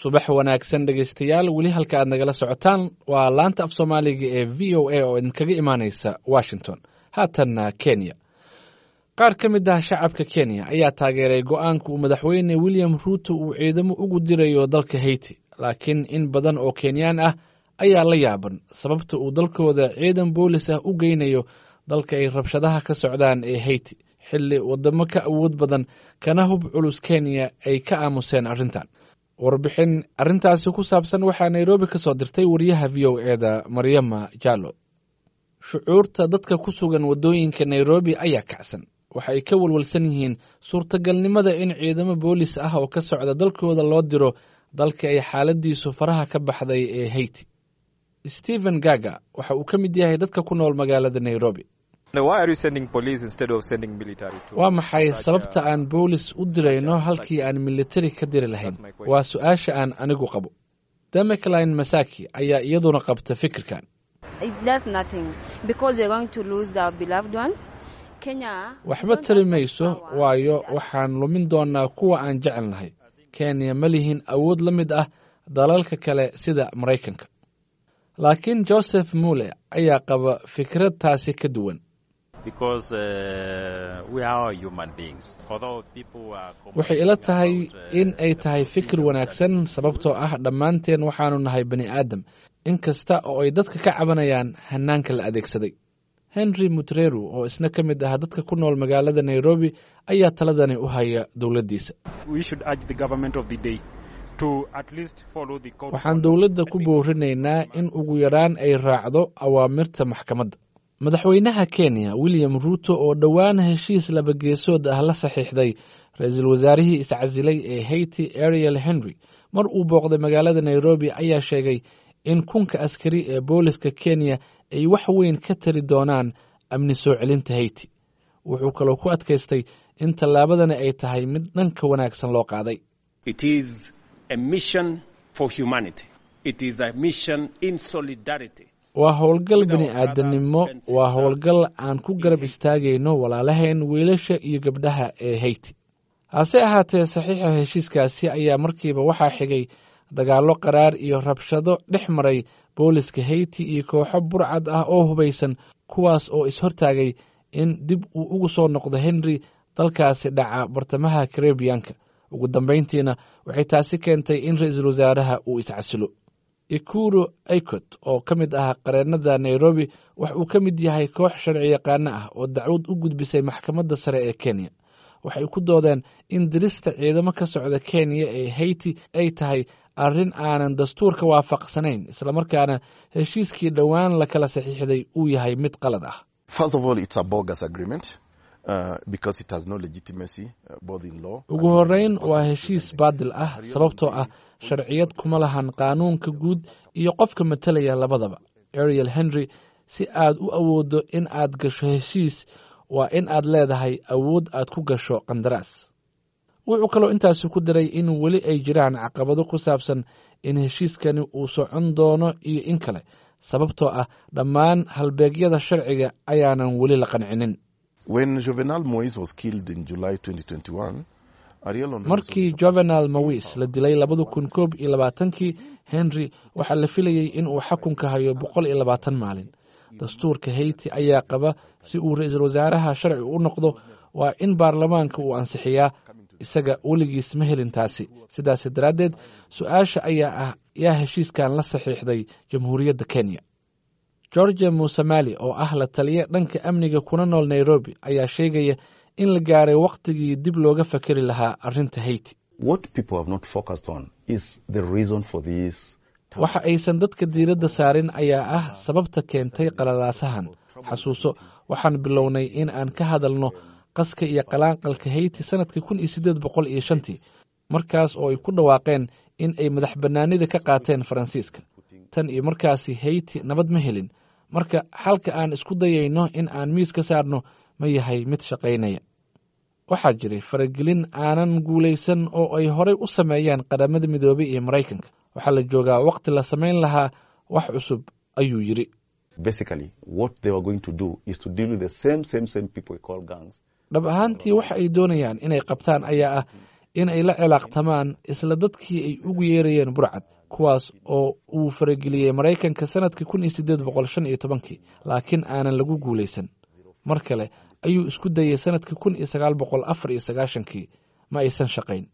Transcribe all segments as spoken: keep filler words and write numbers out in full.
Subax wanaagsan, dhegeystayaal. Weli halka aad nagala socotaan waa laanta af Soomaaliga ee V O A oo idinkaga imaaneysa Washington. Haatanna Kenya. Qaar ka mid ah shacabka Kenya ayaa taageeray go-aanka uu Madaxweyne William Ruuto uu ciidamo ugu dirayo dalka Haiti, laakiin in badan oo Kenyaan ah ayaa la yaaban sababta uu dalkooda ciidan boolis ah u geynayo dalka ay rabshadaha ka socdaan ee Haiti, xilli waddamo ka awood badan kana hub culus Kenya ay ka aamuseen arrintan. Warbixin arrintaasi ku saabsan waxaa Nairobi ka soo dirtay wariyaha V O A da, Maryama Jallo. Shucuurta dadka ku sugan waddooyinka Nairobi ayaa kacsan. Waxa ay ka walwalsan yihiin suurtagalnimada in ciidamo boolis ah oo ka socda dalkooda loo diro dalka ay xaaladiisu faraha ka baxday ee Haiti. Stephen Gaga waxa uu ka mid yahay dadka ku nool magaalada Nairobi. "Waa maxay sababta aan boolis u dirayno halkii aan militari ka diri lahayn? Waa su-aasha aan anigu qabo." Demecline Masaki ayaa iyaduna qabta fikirkan. It does nothing because we're going to lose our beloved ones. Kenya. "Waxba tari mayso, waayo waxaan lumin doonaa kuwa aan jecelnahay. Kenya ma lihin awood la mid ah dalalka kale sida Maraykanka." Laakiin Joseph Mule ayaa qaba fikrad taasi ka duwan. Because uh, we are human beings. Although people are "Waxay ila tahay in ay tahay fikir wanaagsan, sababtoo ah dhammaanteen waxaanu nahay bani aadam, in kasta oo ay dadka ka cabanayaan hanaanka la adeegsaday." Henry Mutreru oo isna ka mid ah dadka ku nool magaalada Nairobi ayaa taladani u haya dowladdiisa. We should urge the government of the day to at least follow the court. "Waxaan dowladda ku boorinaynaa in ugu yaraan ay raacdo awaamirta maxkamadda." Madaxweynaha Kenya William Ruuto oo dhowaan heshiis labageesood ah la saxiixday ra-iisul wasaarihii iscasilay ee Haiti, Ariel Henry, mar uu booqday magaalada Nairobi ayaa sheegay in kunka askari ee booliska Kenya ay wax weyn ka tari doonaan amni soo celinta Haiti. Wuxuu kaloo ku adkaystay in tallaabadani ay tahay mid dhanka wanaagsan loo qaaday. It is a mission for humanity. It is a mission in solidarity. "Waa howlgal bini aadamnimo. Waa howlgal aan ku garab istaagayno walaalaheen wiilasha iyo gabdhaha ee Haiti." Hase ahaatee, saxiixa heshiiskaasi ayaa markiiba waxaa xigay dagaallo qaraar iyo rabshado dhex maray booliska Haiti iyo kooxo burcad ah oo hubaysan, kuwaas oo is-hortaagay in dib uu ugu soo noqdo Henry dalkaasi dhaca bartamaha Karebiyanka. Ugu dambayntiina waxay taasi keentay in ra-iisul wasaaraha uu iscasilo. Ikuru Aikot oo ka mid ah qareennada Nairobi wax uu ka mid yahay koox sharci yaqaano ah oo dacwad u gudbisay Maxkamadda Sare ee Kenya. Waxay ku doodeen in dirista ciidamo ka socda Kenya ee Haiti ay tahay arrin aanan dastuurka waafaqsanayn, islamarkaana heshiiskii dhowaan la kala saxiixday uu yahay mid qalad ah. First of all, it's a bogus agreement uh, because it has no legitimacy, uh, both in law. "Ugu horreyn, waa heshiis baadil ah, sababtoo ah sharciyad kuma lahan qaanuunka guud iyo qofka matalaya labadaba. Ariel Henry, si aad u awooddo in aad gasho heshiis, waa in aad leedahay awood aad ku gasho qandaraas." Wuxuu kaloo intaasi ku daray in weli ay jiraan caqabado ku saabsan in heshiiskani uu socon doono iyo in kale, sababtoo ah dhammaan halbeegyada sharciga ayaanan weli la qancinin. When Jovenel Moise was killed in July twenty twenty-one, Ariel Henry Markii Jovenel Moise la dilay labada kun koob iyo labaatankii, Henry waxaa la filayey in uu xakunka hayo boqol iyo labaatan maalin. Dastuurka Haiti ayaa qaba si uu ra-iisul wasaaraha sharci u noqdo waa in baarlamaanka uu ansixiyaa. Isaga weligiis ma helin taasi. Sidaas daraaddeed, su-aasha ayaa ah: yaa heshiiskan la saxiixday Jamhuuriyadda Kenya? Georgia Musamali oo ah la taliye dhanka amniga kuna nool Nairobi ayaa sheegaya in la gaaray wakhtigii dib looga fakeri lahaa arrinta Haiti. What people have not focused on is the reason for this. "Waxa aysan dadka diiradda saarin ayaa ah sababta keentay qalalaasahan. Xasuuso, waxaan bilownay in aan ka hadalno qaska iyo qalaanqalka Haiti sanadkii kun iyo siddeed boqol iyo shantii, markaas oo ay ku dhawaaqeen in ay madax bannaanida ka qaateen Faransiiska. Tan iyo markaasi Haiti nabad ma helin. Marka xalka aan isku dayayno in aan miis ka saarno ma yahay mid shaqaynaya? Waxaa jiray faragelin aanan guulaysan oo ay horay u sameeyeen Qaramada Midoobay iyo Maraykanka. Waxaa la joogaa waqti la samayn lahaa wax cusub," ayuu yidhi. Basically, what they were going to do is to deal with the same, same, same people we call gangs. "Dhab ahaantii, waxa ay doonayaan inay qabtaan ayaa ah in ay la cilaaqtamaan isla dadkii ay ugu yeerayeen burcad, kuwaas oo uu farageliyey Maraykanka sanadkii kun iyo siddeed boqol shan iyo tobankii, laakiin aanan lagu guulaysan. Mar kale ayuu isku dayey sanadkii kun iyo sagaal boqol afar iyo sagaashankii, ma aysan shaqayn.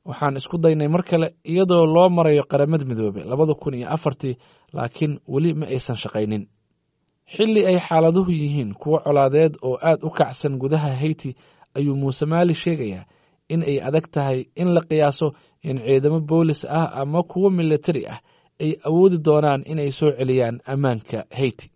Waxaan isku daynay mar kale iyadoo loo marayo Qaramada Midoobe labada kun iyo afartii, laakiin weli ma aysan shaqaynin. Xilli ay xaaladuhu yihiin kuwo colaadeed oo aad u kacsan gudaha Haiti, ayuu Muuse Maali sheegayaa in ay adag tahay in la qiyaaso in ciidamo boolis ah ama kuwo militari ah ay awoodi doonaan inay soo celiyaan ammaanka Haiti.